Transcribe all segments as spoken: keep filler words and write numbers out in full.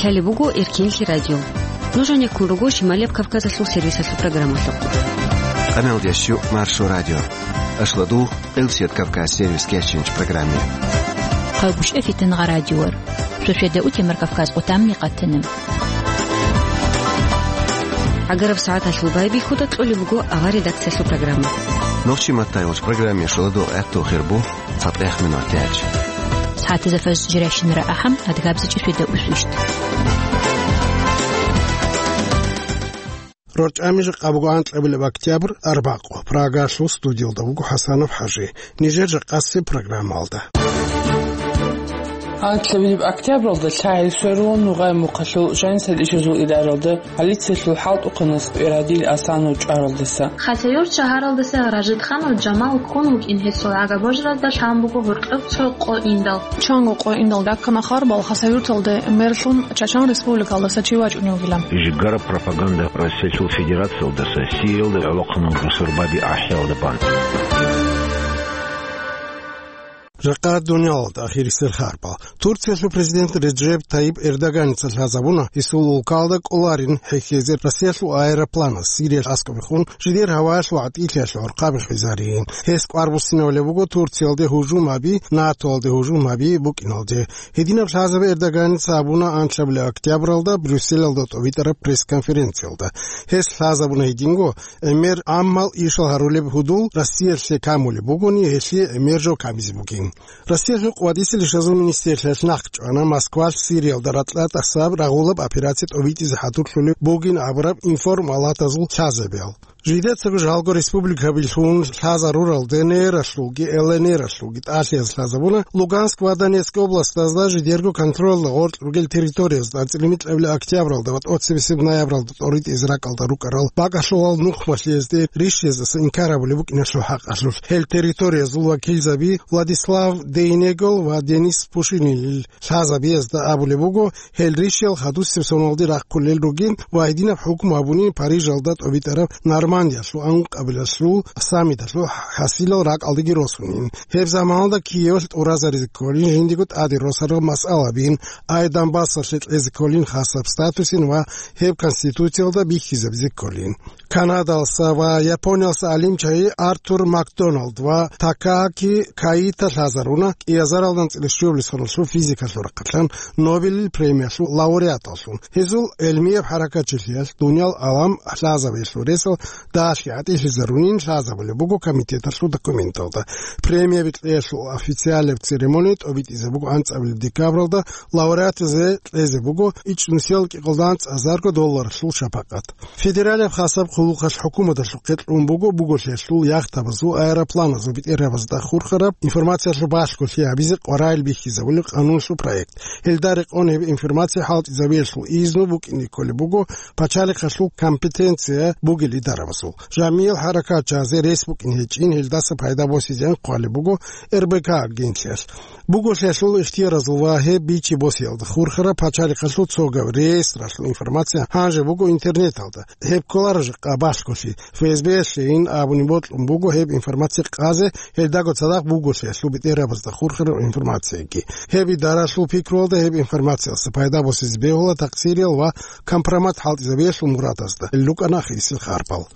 Гьале буго Эркинлъи радио. Нуж гьанеккун руго Шималияб Кавказалъул сервисалъул программалъухъ. Къаналдеш Маршо радио. Ашладу, Къилсият Кавказ сервис кечинч программе. Хъалгушев Фитнагъа радиор. Шошеда утемар Кавказ къутамни къатана. Агараб сагӀаталъул байбихьуда кьолеб буго авар редакциялъул программа. Нохчи маттайгъулч программе шуладу гӀехту хирбу. ЦатӀех минут гьечӀ. СагӀатизафаз жирайщинара ахӀам, адгабзичӀи шведа усвищт. РорчӀами жакъа буго анкьабилеб октябрь, арбакъу. Прагалъул студиялда вуго ХӀасанов ХӀажи. Нижер жакъасеб программалда. Анкьабилеб октябралда лъагӀел сверулун нугъай мухъалъул жанисал ишазул идаралда полициялъул хӀалтӀухъанас Пирадил Асанов чӀваралдаса. Хасавюрт шагьаралдаса Ражидханов Жамал ккун вукӀин гьесул гӀага божаразда лъан буго гьоркьоб цо къо индал. Чанго къо индал раккана харбал Хасавюрталде мерлъун Чачан республикалдаса чи вачӀунев вугилан. Жигара пропаганда Россиялъул Федерациялдаса Сириялда гӀолохъанал бусурбаби ахӀиялда бан. Жакъа дуниялалда ахирисел харбал. Турциялъул президент Реджеп Тайип Эрдоганица лъазабуна, гьесул улкалда кӀоларин хӀехьезе Россиялъул аэропланас Сириялъ аскӀобехун жидер гьаваялъул гӀатӀилъиялъул гӀорхъаби хвезарин. Гьес кӀвар буссинавулеб буго Турциялде гьужум гьаби, НАТОялде гьужум гьаби букӀиналде. Гьединаб лъазаби Эрдоганица абуна анлъабилеб октябралда Брюсселалда тӀобитӀараб пресс-конференциялда. Гьес лъазабуна гьединго, гӀемер гӀаммал ишал гьарулеб гьудул Россиялъе камулеб бугони, гьелъие гӀемер жо камизе бугин. Россиялъул къватӀисел ишазул министрлъиялъ нахъчӀвана Москвалъ Сириялда ракьа тӀасаб рагъулаб операция тӀобитӀизе хӀадурлъулеб бугин абураб информалатазул лъазабиял. Жидецаго жалго республикабилъун лъазаруралде НР-алъулги ЛНР-алъулги тӀалъияз лъазабуна Луганск ва Донецк областазда жидерго контролда гъоркь ругел территориязда анцӀила микьабилеб октябралда ва тӀоцебесеб ноябралда тӀоритӀизе ракӀалда рукӀарал бакӀалъулал нухмалъиязде ришшездаса инкар гьабулеб букӀиналъул хӀакъалъулъ. Гьел территориязул вакилзаби Владислав Дейнегол ва Денис Пушинилил лъазабиязда абулеб буго, гьел ришшел хадусеб соналде рахъулел ругин ва гьединаб хӀукму гьабунин Парижалда тӀобитӀараб Нормандиялъул анкьабилалъул саммиталъул хӀасилал ракӀалдеги росунин. Гьеб заманалда Киевалъ тӀуразаризе кколин жиндиего тӀаде росарал масъалабин, ай Донбассалъе кьезе кколин хасаб статусин ва гьеб Конституциялда бихьизабизе кколин. Канадалъа ва Япониялъа гӀалимчагӀи Артур Макдоналд ва Такааки Каита лъазаруна кӀиазаралда анцӀила щуабилеб соналъул физикалъул рахъалъан Нобелил премиялъул лауреаталлъун. Гьезул гӀелмияб хӀаракатчилъиялъ дуниял гӀалам лъазабиялъул ресал дагьалъги гӀатӀилъизарунин лъазабулеб буго комитеталъул документалда. Премияби кьеялъул официалияб церемония тӀобитӀизе буго анцӀабилеб декабралда, лауреатазе кьезе буго ичӀнусиял кӀикъоялда анцӀазарго долларалъул шапакъат. Федералияб хасаб хъулухъалъ хӀукуматалъухъе кьун буго буголъиялъул яхтабазул, аэропланазул бетӀергьабазда хурхараб информациялъул балъголъи гьабизе къваригӀел бихьизабулеб къануналъул проект. Гьелда рекъон гьеб информация хӀалтӀизабиялъул изну букӀине кколеб буго пачалихъалъул компетенция бугел идарабазул. ЖамигӀил хӀаракатчагӀазе рес букӀин гьечӀин, гьелдаса пайда босизеян хъвалеб буго РБК агентлъиялъ. Буголъиялъул ихтияразул ва гьеб бичи босиялда хурхараб пачалихъалъул цогаб реестралъул информация гьанже буго интернеталда. Гьеб кколаро жакъа балъголъи. ФСБ-ялъейин абуни бокьун буго гьеб информация къазе, гьелдаго цадахъ буголъиялъул бетӀергьабазда хурхараб информацияги. Гьеб идаралъул пикруялда гьеб информациялъа пайда босизе бегьула такъсириял ва компромат хӀалтӀизабиялъул мурадазда. Гьел рукӀана ахирисел харпал.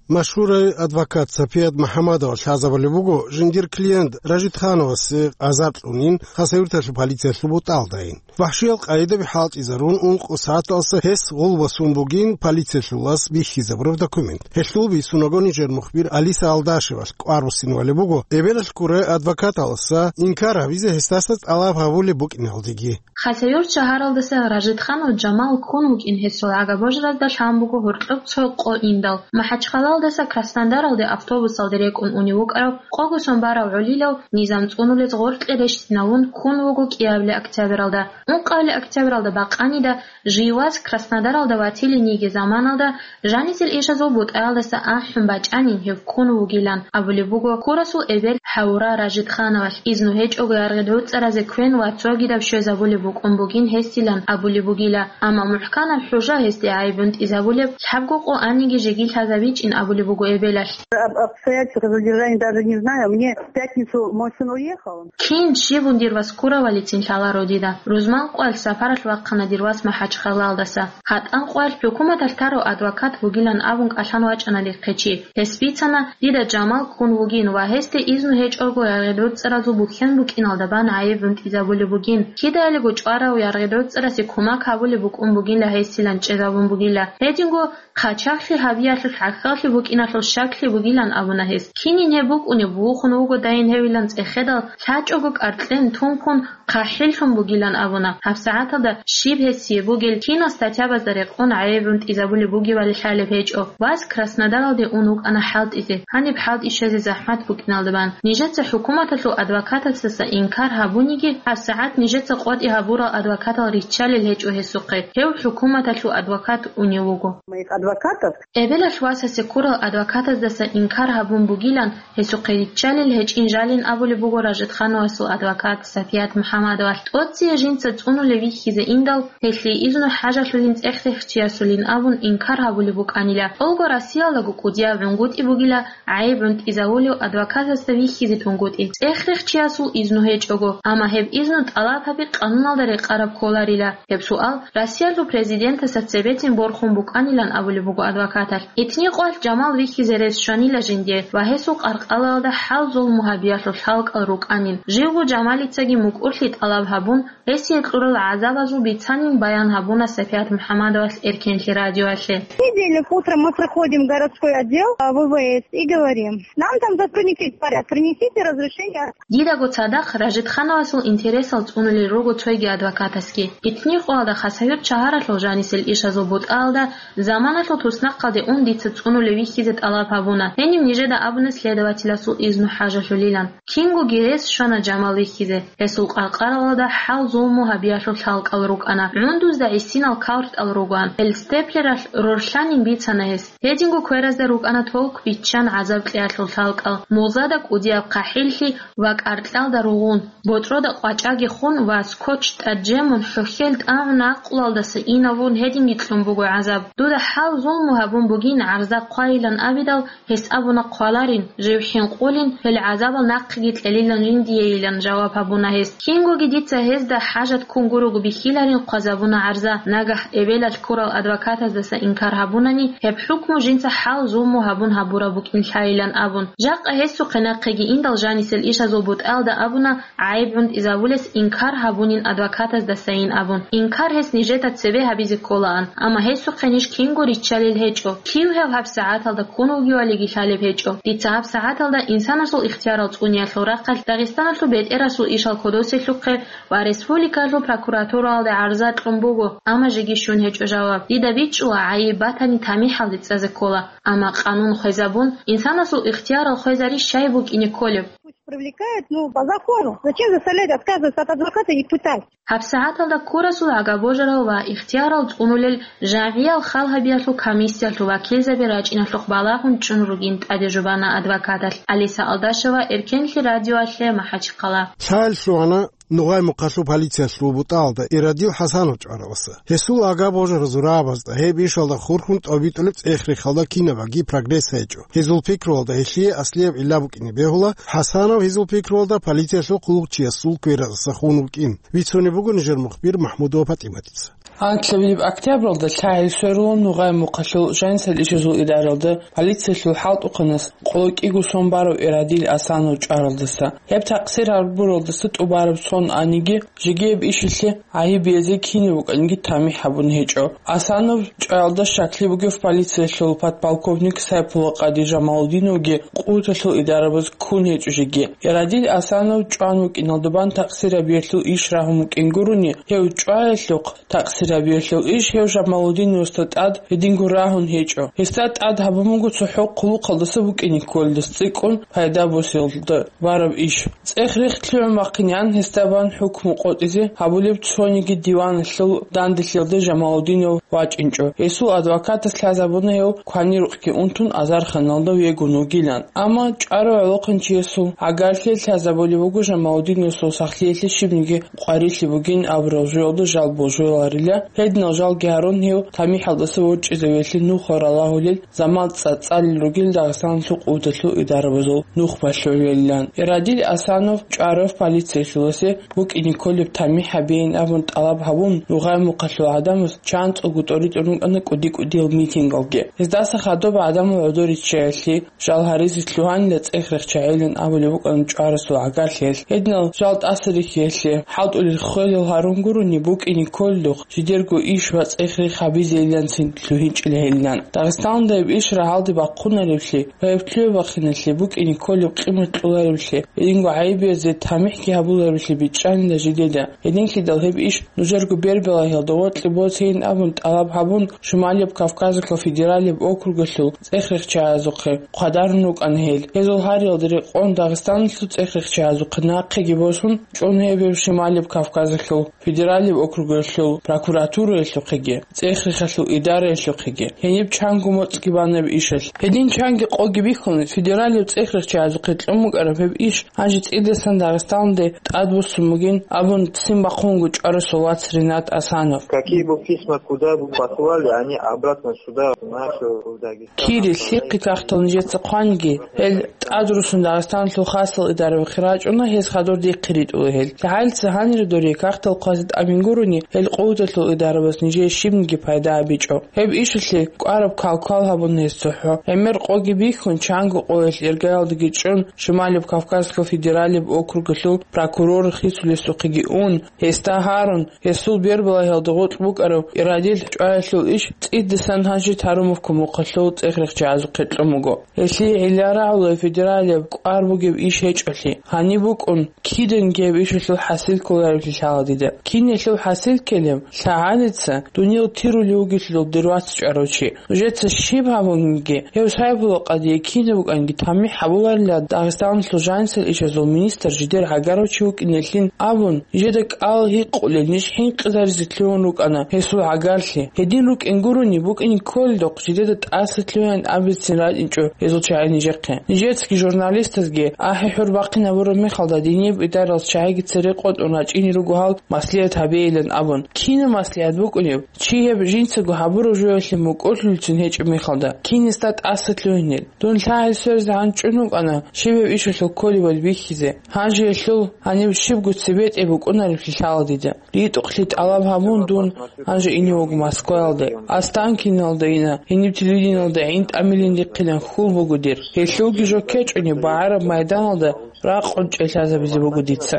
Машгьурай адвокат Сапият МухӀамадова лъазабулеб буго, жиндир клиент Ражидхановасе азар кьунин, Хасавюрталъул полициялъул бутӀалдайин. ВахӀшиял къайдаби хӀалтӀизарун, ункъо сагӀаталса гьес гъулбасун бугин полициялъулас бихьизабураб документ. Гьелъул бицунаго нижер мухбир Алиса Алдашевалъ кӀвар буссинавалеб буго, эбелалъ ккурай адвокаталаса инкар гьабизе гьесдаса тӀалаб гьабулеб букӀиналдеги. Хасавюрт шагьаралдаса Ражидханов Жамал ккун вукӀин гьесул гӀага божаразда лъан буго гьоркьоб цо къо индал. МахӀачхъалаялдаса Краснодаралде автобусалде рекӀун унев вукӀарав къого сон барав гӀолилав низам цӀунулез гъоркье рещтӀиналун ккун вуго кӀиабилеб октябралда. Ункъабилеб октябралда бакъанида, жив вас Краснодаралда ватилин йиги заманалда, жанисел ишазул бутӀаялдаса ахӀун бачӀанин гьев ккун вугилан абулеб буго ккурасул эбел Хьавура Ражидхановалъ. Изну гьечӀого яргъи гӀуцӀаразе квен ва цогидаб щвезабулеб букӀун бугин гьесилан абулеб бугила, амма мухӀканаб хӀужа гьесде гӀайиб бунтӀизабулеб, лъабго къо аниги жеги лъазабичӀин абулеб буго эбелалъ. Об обстоятельствах задержания даже не знаю. Мне в пятницу мой сын уехал. Кин щиб дир вас ккуравалицин лъаларо дида. Рузман къвалъ сапаралъ вахъана дир вас МахӀачхъалаялдаса. ГьатӀан къвалъ хӀукуматалъ тарав адвокат вугилан абун кӀалъан вачӀана дихъе чи. Гьес бицана, дида Жамал ккун вугин ва гьесде изну гьечӀого яргъи-рорцӀаразул бухьен букӀиналда бан гӀайиб гӀунтӀизабулеб бугин. Кидаялиго чӀварав яргъи-рорцӀарасе кумак гьабулеб букӀун бугила гьесилан чӀезабун бугила. Гьединго хъачагълъи гьабиялъул хӀахьаллъи букӀиналъул щаклъи бугилан абуна гьес. Кинин гьеб букӀунеб, вухун вуго дайин гьевилан цӀехедал, лъачӀого кӀаркьен тункун, хъахӀиллъун бугилан абуна. ГьабсагӀаталда щиб гьесие бугел, кинал статьябазда рекъон гӀайиб гӀунтӀизабулеб бугебали лъалеб гьечӀо. Вас Краснодаралде ун вукӀана хӀалтӀизе, гьаниб хӀалтӀи щвезе захӀмат букӀиналда бан. Нижеца хӀукуматалъул адвокатасдаса инкар гьабуниги, гьабсагӀат нижеца къотӀи гьабурал адвокатал риччалел гьечӀо гьесухъе. Гьев хӀукуматалъул адвокат унев вуго. Моих адвокатов. Эбелалъ васасе ккурал адвокатаздаса инкар гьабун бугилан, гьесухъе риччалел гьечӀин жалин абулеб буго Ражидхановасул адвокат Сапият МухӀаммадовалъ. ТӀоцие жинца цӀунулев вихьизе индал, гьелъие изну хӀажалъулин цӀех-рехчиясулин абун инкар гьабулеб букӀанила. ТӀолго Россиялдаго кӀудияб гӀунгутӀи бугила гӀайиб гӀунтӀизавулев адвокатасда вихьизе тунгутӀи. ЦӀех-рехчиясул изну гьечӀого, амма гьеб изну тӀалаб гьаби къануналда рекъараб кколарила. Гьеб суал Россиялъул президентасда цебетин борхун букӀанилан абулеб буго адвокаталъ. Итни къвалъ Жамал вихьизе рес щванила жинде ва гьесул къаркъалалда хӀал-зулму гьабиялъул лъалкӀал рукӀанин. Живго Жамалицаги мукӀурлъи тӀалаб гьабун, гьесие кьурал гӀазабазул бицанин баян гьабуна Сапият МухӀаммадовалъ Эркенлъи радиоялъе. Понедельник утром мы приходим в городской отдел, а, В В С и говорим: «Нам там сотрудники говорят, принесите разрешение». Дидаго цадахъ Ражидхановасул интересал цӀунулел руго цойги адвокатасги. Итни къоялда Хасавюрт шагьаралъул жанисел ишазул бутӀаялда заманалъул туснахъалде ун дица цӀунулев вихьизе тӀалаб гьабуна. Гьенив нижеда абуна следователасул изну хӀажалъулилан. Кингоги рес щвана Жамал вихьизе. Гьесул къаркъаралда хӀал-зулму гьабиялъул лъалкӀал рукӀана. ГӀундузда гӀисинал кавртӀал ругоан. Гьел степлералъ рорлъанин бицана гьес. Гьединго кверазда рукӀана толк биччан гӀазаб кьеялъул лъалкӀал, музада кӀудияб хъахӀиллъи ва кӀаркьалда ругъун, ботӀрода къвачӀаги хун ва скотч тӀаджемун, хӀухьел тӀагӀун, накъулалдаса инавун гьединги кьун буго гӀазаб. Дуда хӀал-зулму гьабун бугин гӀарза хъвайилан абидал, гьес абуна хъваларин, жив хӀинкъулин, гьел гӀазабал нахъеги кьелилан жиндиейилан жаваб гьабуна гьес. Кингоги дица гьезда хӀажат ккун гурого бихьиларин хъвазабуна гӀарза, нагагь эбелалъ ккурал адвокатаздаса инкар гьабунани, гьеб хӀукму жинца хӀал-зулму гьабун гьабураб букӀин лъайилан абун. Жакъа гьесухъе нахъеги индал жанисел ишазул бутӀаялда абуна, гӀайиб гӀунтӀизавулес инкар гьабунин адвокатаздасайин абун. Инкар гьес нижеда цебе гьабизе кколаан, амма гьесухъе ниж кинго риччалел гьечӀо. Кив гьев гьабсагӀаталда ккун вугевалиги лъалеб гьечӀо. Дица гьабсагӀаталда инсанасул ихтиярал цӀуниялъул рахъалъ Дагъистаналъул бетӀерасул ишал кодоселъухъе ва республикалъул прокуратуралде гӀарза кьун буго, амма жеги щун гьечӀо жаваб. Дида бичӀчӀула, гӀайиб батани тамихӀалде цӀазе ккола, амма къанун хвезабун, инсанасул ихтиярал хвезари щай букӀине кколеб? Пусть привлекают, ну, по закону. Зачем заставлять отказываться от адвоката и пытать? ГьабсагӀаталда ккурасул агабожарал ва ихтиярал цӀунулел жагӀиял хал гьабиялъул комиссиялъул вакилзаби рачӀиналъухъ балагьун чӀун ругин тӀаде жубана адвокаталъ. Алиса Алдашева, Эркенлъи радиоялъе, МахӀачхъала. Лъаялъ лъугьана Нугъай-Мухъалъул полициялъул бутӀаялда Ирадил ХӀасанов чӀвараваса. Гьесул агабожаразул рагӀабазда гьеб ишалда хурхун тӀобитӀулеб цӀех-рехалда кинабаги прогресс гьечӀо. Гьезул пикруялда гьелъие аслияб гӀилла букӀине бегьула, ХӀасанов, гьезул пикруялда, полициялъул хъулухъчиясул квераздаса хун вукӀин. Бицунеб буго нижер мухбир МахӀмудова ПатӀиматица. Анлъабилеб октябралда лъагӀел сверулун Нугъай-Мухъалъул жанисел ишазул идаралда полициялъул хӀалтӀухъанас къоло кӀиго сон барав Ирадил ХӀасанов чӀваралдаса. Гьеб такъсир гьабуралдаса тӀубараб сон аниги, жеги гьеб ишилъе гӀайиб биязе кинаб букӀаниги тамихӀ гьабун гьечӀо. ХӀасанов чӀваялда щаклъи бугев полициялъул подполковник Сайпула-къади Жамалудиновги къуваталъул идарабаз ккун гьечӀо жеги. Ирадил ХӀасанов чӀван вукӀиналда бан такъсир гьабиялъул иш рагьун вукӀин гурони, гьев чӀваялъухъ такъсир гьабиялъул иш гьев Жамалудиновасда тӀад гьединго рагьун гьечӀо. Гьесда тӀад гьабун буго цохӀо хъулухъалдаса букӀине кколелдаса цӀикӀкӀун пайда босиялда бараб иш. ЦӀех-рех лъугӀун бахъинегӀан гьесда бан хӀукму къотӀизе гьабулеб цониги диваналъул данделъиялда Жамалудинов вачӀинчӀо. Гьесул адвокатас лъазабуна гьев кванирукъги унтун азарханалда вегун вугилан. Амма чӀварав гӀолохъанчиясул гӀагарлъи лъазабулеб буго Жамалудиновасул сахлъиялъе щибниги къварилъи бугин абураб жоялда жал божуларила. Гьединал жалги гьарун гьев тамихӀалдаса ворчӀизавеялъе нухал ралагьулел заман цӀацӀалел ругел Дагъистаналъул къуваталъул идарабазул нухмалъулилан. Ирадил Асанов чӀварав полициялъуласе букӀине кколеб тамихӀ гьабейин абун тӀалаб гьабун, Нугъай Мухъалъул гӀадамаз чанцӀого тӀоритӀун рукӀана кӀуди-кӀудиял митингалги. Гьездаса хадуб гӀадамал гӀодор риччаялъе, жал гьаризе лъугьанила цӀех рехчагӀилан абулеб букӀана чӀварасул гӀагарлъиялъ. Гьединал жал тӀаса рихьиялъе, хӀалтӀулел хвелал гьарун гурони букӀине кколелъухъ, жидерго иш ва цӀех рехъ гьабизейиланцин лъугьинчӀила гьелилан. Дагъистаналда гьеб иш рагьалде бахъунареблъи ва гьеб лъугьа-бахъиналъе букӀине кколеб къимат кьолареблъи, гьединго гӀайибиязде тамихӀги гьабулареблъи бичӀчӀанила жидеда. Гьединлъидал гьеб иш нужерго бербелагьиялда гъоркье босейин абун тӀалаб гьабун, Шималияб Кавказалъул федералияб округалъул цӀех рехчагӀазухъе хъвадарун рукӀана гьел. Гьезул гьариялда рекъон Дагъистаналъул цӀех рехчагӀазухъе нахъеги босун, чӀун гьеб гьев Шималияб Кавказалъул федералияб округалъул прокуратураялъухъеги, цӀех рехалъул идараялъухъеги. Гьениб чанго моцӀги бана гьеб ишалъ. Гьедин чанги къоги бихьун, федералияб цӀех рехчагӀазухъе кьун букӀараб гьеб иш гьанже цӀидасан Дагъистаналде тӀадбуссун бугин абун ццин бахъун вуго чӀварасул вац Ринат Асанов. Какие бы письма куда бы послали, они обратно сюда, в нашу, в Дагестан. Кири лъихъи кагътал нижеца хъванги, гьел тӀадруссун Дагъистаналъул хасал идарабахъе рачӀуна, гьез хадур дихъе ритӀула гьел. ЛъагӀалица гьанире дорие кагътал хъвазе тӀамин гурони, гьел къуваталъул идарабаз нижее щибниги пайда гьабичӀо. Гьеб ишалъе кӀвараб кал-квал гьабуна гьез цохӀо. ГӀемер къоги бихьун, чанго къоялъ иргаялдаги чӀун, Шималияб Кавказалъул федералияб округалъул прокурор хисулесухъеги ун, гьесда гьарун, гьесул бербалагьиялда гъоркь букӀараб Ирадил чӀваялъул иш цӀидасан гьанже Тарумовка мухъалъул цӀех рехчагӀазухъе кьун буго. Гьелъие гӀилла рагӀула федералияб кӀвар бугеб иш гьечӀолъи. Гьаниб букӀун, киданги гьеб ишалъул хӀасил кколареблъи лъала дида. Киналъул хӀасил ккелеб? ЛъагӀалица дуниял тирули вугелъул дир вац чӀварав чи. Нужеца щиб гьабунги, гьев Сайбулакъадие кинаб букӀанги тамихӀ гьабуларила Дагъистаналъул жанисел ишазул министр жидер гӀагарав чи вукӀинеллъин абун, нижеда кӀал гьикъулел, ниж хӀинкъизаризе лъугьун рукӀана гьесул гӀагарлъи. Гьедин рукӀин гурони, букӀине кколелдухъ жидеда тӀаса лъугьаян абицин ратӀинчӀо гьезул чагӀи нижехъе. Нижецаги журналистазги ахӀи-хӀур бахъин гьабураб мехалда, диниб идаралъ чагӀиги цере къотӀун рачӀине руго гьал маслигӀат гьабейилан абун. Кинаб маслигӀат букӀунеб? Чи гьеб жинцаго гьабураб жоялъе мукӀурлъулцин гьечӀеб мехалда, кинисда тӀаса лъугьинел? Дун лъагӀел сверзе гьанчӀун вукӀана, щиб гьеб ишалъул кколебали бихьизе. Гьанже гьелъул гьаниб щибго цебетӀе букӀунареблъи лъала дида. РитӀухълъи тӀалаб гьабун, дун гьанже ине вуго Москваялде. Останкиналда ина, гьениб телевидениялда гӀин тӀамилин рихъилан хьул буго дир. Гьелъулги жо ккечӀони, багӀараб майданалда ракъун чӀей лъазабизе буго дица.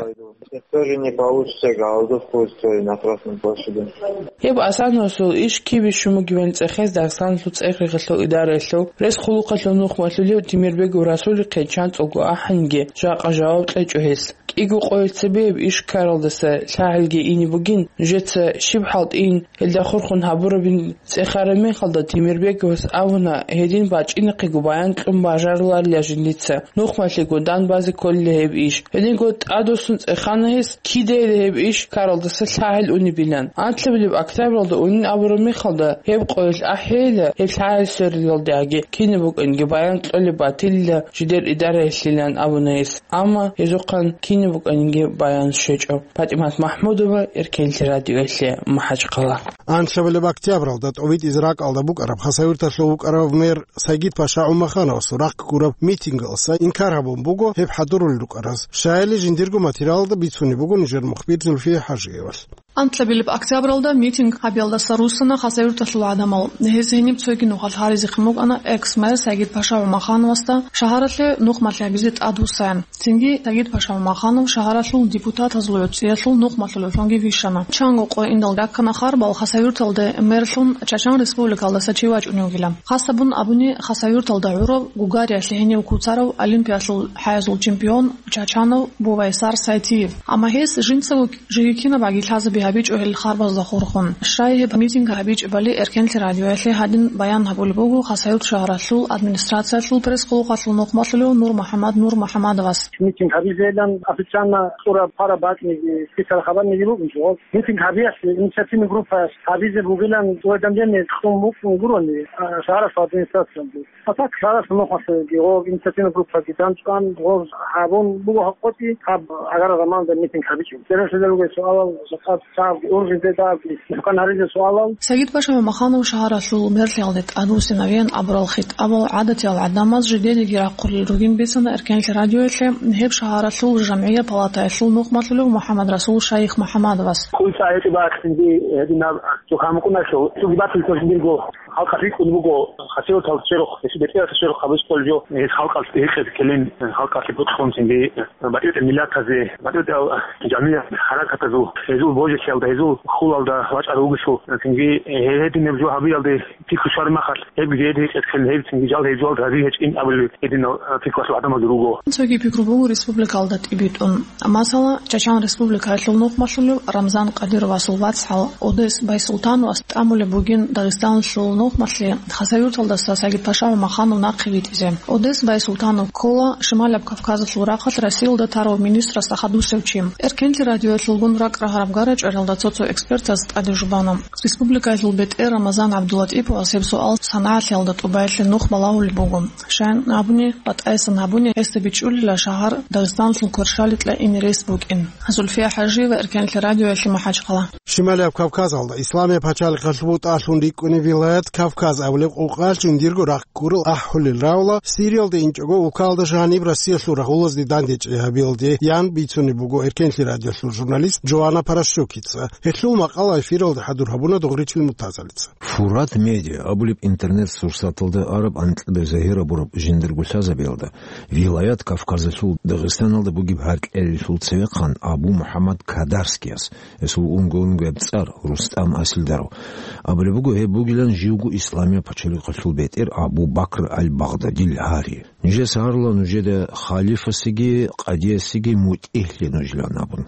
Тоже не получится голодовку устроить на Красной площади. Гьеб Асановасул иш кибищун бугебали цӀехез Дагъистаналъул цӀех рехалъул идараялъул рес-хъулухъалъул нухмалъулев Темирбегов Расулихъе чанцӀулго ахӀанги жакъа жаваб кьечӀо гьес. КӀиго къоялъ цебе гьеб иш ккаралдаса лъагӀелги ине бугин, нужеца щиб хӀалтӀийин, гьелда хурхун гьабурабин цӀехараб мехалда, Темирбеговас абуна, гьедин бачӀинахъего баян кьун бажаруларила жиндица, нухмалъего дан базе кколила гьеб иш. Гьединго тӀадвуссун цӀехана гьес, кидайила гьеб иш ккаралдаса лъагӀел унебилан. Анлъабилеб октябралда унин абураб мехалда, гьеб къоялъ ахӀейила, гьеб лъагӀел сверилалдеги кинаб букӀанги баян кьолеб батилила жидер идараялъилан абуна гьес. Амма гьезухъан кинаб букӀанинги баян щвечӀо. ПатӀимат МахӀмудова, Эркенлъи радиоялъе, МахӀачхъала. Анлъабилеб октябралда тӀобитӀизе ракӀалда букӀараб Хасавюрталъул вукӀарав мэр Сагид-паша ГӀумахановасул рахъ гураб митингалдаса инкар гьабун буго гьеб хӀадурулел рукӀараз. Щайили жиндирго материалалда бицунеб буго нижер мухбир Зульфия ХӀажиевалъ. Анлъабилеб октябралда митинг гьабиялдаса руссана Хасавюрталъул гӀадамал. Гьез гьениб цоги нухалъ гьаризе хъван букӀана экс-мэр Сагид-паша ГӀумахановасда шагьаралъе нухмалъи гьабизе тӀадвуссаян. Цинги Сагид-паша ГӀумаханов шагьаралъул депутатазул гӀуцӀиялъул нухмалъулевлъунги вищана. Чанго къо индал раккана харбал Хасавюрталде мэрлъун Чачан республикалдаса чи вачӀунев вугилан. Хасабун абуни, Хасавюрталда гӀурав, Гугариялъе гьенив куцарав, Олимпиялъул хӀаязул чемпион Чачанов Бувайсар Сайтиев. Амма гьес жинцаго жеги кинаб баги лъазаби гьабичӀо гьел харбазда хурхун. Щай гьеб митинг гьабичӀебали Эркенлъи радиоялъе гьадин баян гьабулеб буго Хасавюрт шагьаралъул администрациялъул пресс-хъулухъалъул нухмалъулев Нур МухӀаммад Нур МухӀаммадовас. Митинг гьабизейилан официально цӀураб хъвараб бакӀниги, список хабарниги букӀинчӀо. Митинг гьабиялъе инициативный группа гьабизе бугилан уведомление кьун букӀун гурони, а, шагьаралъул администрациялде. А так шагьаралъул нухалъеги гъо инициативный группаги данчӀван, гъо гьабун буго гьакъоти гьаб гӀагарал заманалда митинг гьабичӀо. Церенлъидал ругел суалал жакъа дагьабги, ургъизе дагьабги, мухӀкан гьаризе суалал. Сагид-паша Мамаханов шагьаралъул мерлъиялде тӀадвуссинавеян абурал хитӀабал гӀадатиял гӀадамаз жидедаги рахъулел ругин бицана Эркенлъи радиоялъе гьеб шагьаралъул жамгӀия палатаялъул нухмалъулев МухӀаммад-Расул Шайх МухӀаммадовас. Куца гьечӀеб ахинги гьединаб цо хӀамукъуналъул, цоги батуллъулъ дирго халкъалъ рикӀкӀун буго, хасиятал черхъ, гьесул бетӀералъул черхъ гьабизе кколеб жо, гьес халкъалъ хӀехъезе ккелин, халкъалъе бокьун цинги, батӀи-батӀи миллатазе, батӀи-батӀи жамгӀият, хӀаракатазул, гьезул божилъиялда, гьезул хьулалда вачӀарав вугелъул, цинги гьединаб жо гьабиялде пикру щвараб мехалъ, гьеб жеде гьечӀеб ккелин, гьеб цинги жал гьеб жо гьари гьечӀин абулел гьединал пикруялъул гӀадамаз руго. Цоги пикру буго республикалда тӀибитӀун. Масала, Чачан Республикаялъул нухмалъулев Рамзан Кадировасул вацгӀал Одес Байсултановас тӀамулеб бугин Дагъистаналъул нухмалъе Хасавюрталдаса Сагид-паша Мамаханов нахъе витӀизе. Одес Байсултанов ккола Шималаб Кавказалъул рахъалъ Россиялда тарав министрасда хадусев чи. Эркенлъи радиоялъулгун ракӀ рагьараб гара чӀваралда цо-цо экспертаз тӀаде жубана. Республикаялъул бетӀер Рамазан ГӀабдуллатӀиповас гьеб суал СангӀалъиялда тӀубаялъе нух балагьулеб буго. Щайин абуни, батӀайсан гьабуни, гьесда бичӀчӀулила шагьар Дагъистаналъул кверщаликьа ине рес букӀин. Зульфия ХӀажиева, Эркенлъи радиоялъе, МахӀачхъала. Шималияб Кавказалда Исламияб пачалихъалъуб бутӀалъун рикӀкӀунеб вилаят Кавказ абулеб къукъалъ жиндирго рахъ гурел ахӀулел равла, Сириялда инчӀого улкалда жаниб Россиялъул рагъулазде дандечӀей гьабиялде, ян бицунеб буго Эркенлъи радиоялъул журналист Джоанна Паращукица. Гьелъул макъала эфиралда хӀадур гьабуна Дугъричил Муртазалица. Фурат Медиа абулеб интернет-сурсаталда араб анкьабилеб загьир абураб жиндирго лъазабиялда, вилаят Кавказалъул Дагъистаналда бугеб гьаркьалъулъ цевехъан Абу МухӀаммад Кадарскияс, гьесул унго-унгояб цӀар Рустам Асилдаров, абулеб буго, гьеб бугилан живго Исламияб пачалихъалъул бетӀер Абу Бакр аль-Багъдадил гьари. Нижеца гьарула нужеда халифасеги къадиясеги мутӀигьлъи нужилан абун.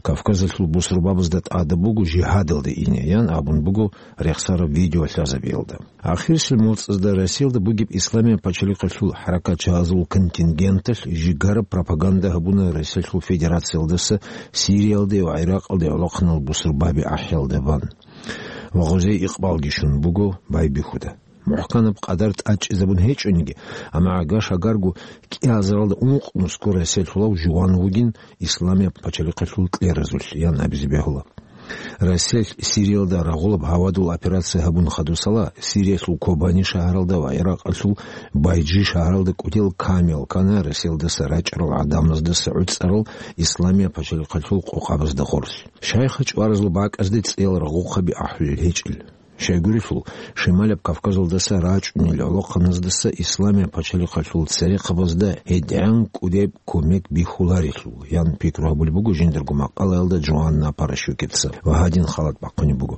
Кавказалъул бусурбабазда тӀадаб буго жигьадалде ине, ян абун буго рехсараб видеолъазабиялда. Ахирисел моцӀазда Россиялда бугеб Исламияб пачалихъалъул хӀаракатчагьазул контингенталъ жигараб пропаганда гьабуна Россиялъул Федерациялдаса Сириялде ва ГӀиракъалде гӀолохъанал бусурбаби ахӀиялда бан. Ва гъозие икъбалги щун буго байбихьуда. МухӀканаб къадар тӀадчӀезабун гьечӀониги, амма гьагар-шагарго кӀиазаралда ункънусго Россиялъулав жуван вугин Исламияб пачалихъалъул кьеразулъ, ян абизе бегьула. Россиялъ Сириялда рагъулаб гьавадул операция гьабун хадусала, Сириялъул Кобани шагьаралда ва ГӀиракъалъул Байджи шагьаралда кӀудиял камерал ккана Россиялдаса рачӀарал гӀадамаздаса гӀуцӀарал Исламияб пачалихъалъул къокъабазда гъорлъ. Шайха чӀваразул бакӀазде цӀеял рагъухъаби ахӀулел гьечӀел. Щайгурелъул, Шималаб Кавказалдаса рачӀунел гӀолохъаназдаса Исламияб пачалихъалъул церехъабазда гьедигӀан кӀудеб кумек бихьуларелъул, ян пикру гьабулеб буго жиндирго макъалаялда Джоанна Паращукица, ва гьадин халат бахъунеб буго.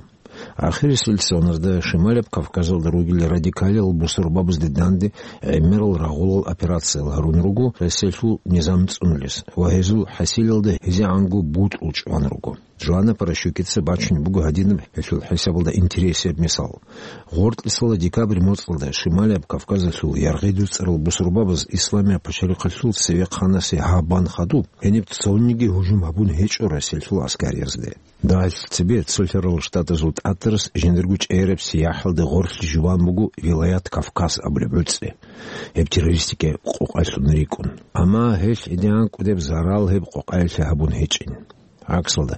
Ахирисел соналда Шималаб Кавказалда ругел радикалиял бусурбабазде данде гӀемерал рагъулал операциял гьарун руго Россиялъул низам цӀунулес ва гьезул хӀасилалда гьезегӀанго бутӀрул чӀван руго. Джоанна Паращукица бачунеб буго гьадинаб гьелъул хӀисабалда интересияб мисал. Гъоркьисала декабрь моцӀалда Шималияб Кавказалъул яргъи дуцӀарал бусурбабаз Исламияб пачалихъалъул цевехъанасе гьаб бан хадуб, гьениб цониги гьужум гьабун гьечӀо Россиялъул аскариязде. Дагьалъ цебе Цолъарал Штатазул тӀатарас жиндирго чӀегӀераб сияхӀалде гъорлъ жуван буго вилаят Кавказ абулеб гӀуцӀи, гьеб террористикаяб къокъалъун рикӀкӀун. Амма гьелъ гьедигӀан кӀудеб зарал гьеб къокъаялъе гьабун гьечӀин. ГӀаксалда,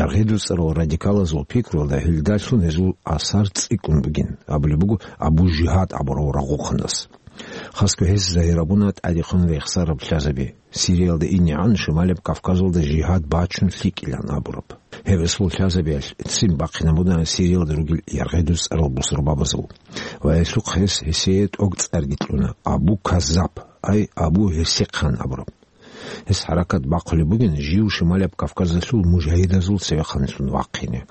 яргъи дуцӀарал радикалазул пикруялда гьелдалъун гьезул асар цӀикӀкӀун бугин, абулеб буго Абу Жигьад абурав рагъухъанас. Хасго гьес загьир гьабуна тӀадехун рехсараб лъазаби, Сириялда инегӀан Шималаб Кавказалда жигьад бачун лъикӀилан абураб. Гьеб эсул лъазабиялъ ццин бахъинабуна Сириялда ругел яргъи дуцӀарал бусурбабазул. Ва гьелъухъ гьес гьесие тӀоцӀарги кьуна Абу Каззаб, ай Абу Гьерсихъан абураб. Гьес хӀаракат бахъулеб бугин жив Шималаб Кавказалъул мужагьидазул цевехъанлъун вахъине.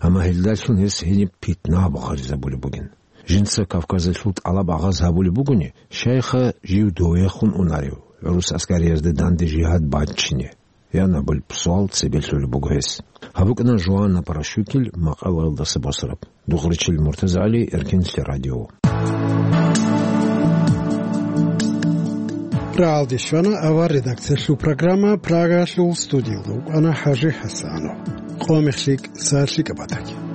Амма гьелдалъун гьес гьениб питна багъаризабулеб бугин. Жинца Кавказалъул тӀалаб агъаз гьабулеб бугони, шайха жив довехун унарев, гӀурус аскариязда данде жигьад бачине, ян абулеб суал цебе лъолеб буго гьес. ГьабукӀана Жуанна Паращукил макъалаялдаса босараб. Дугъричил МуртазагӀали, Эркенлъи радио. Рагьалде щвана авар редакциялъул программа, Прагаялъул студиялда вукӀана ХӀажи ХӀасанов. Къо мехлъи, са лъикӀаб батаги.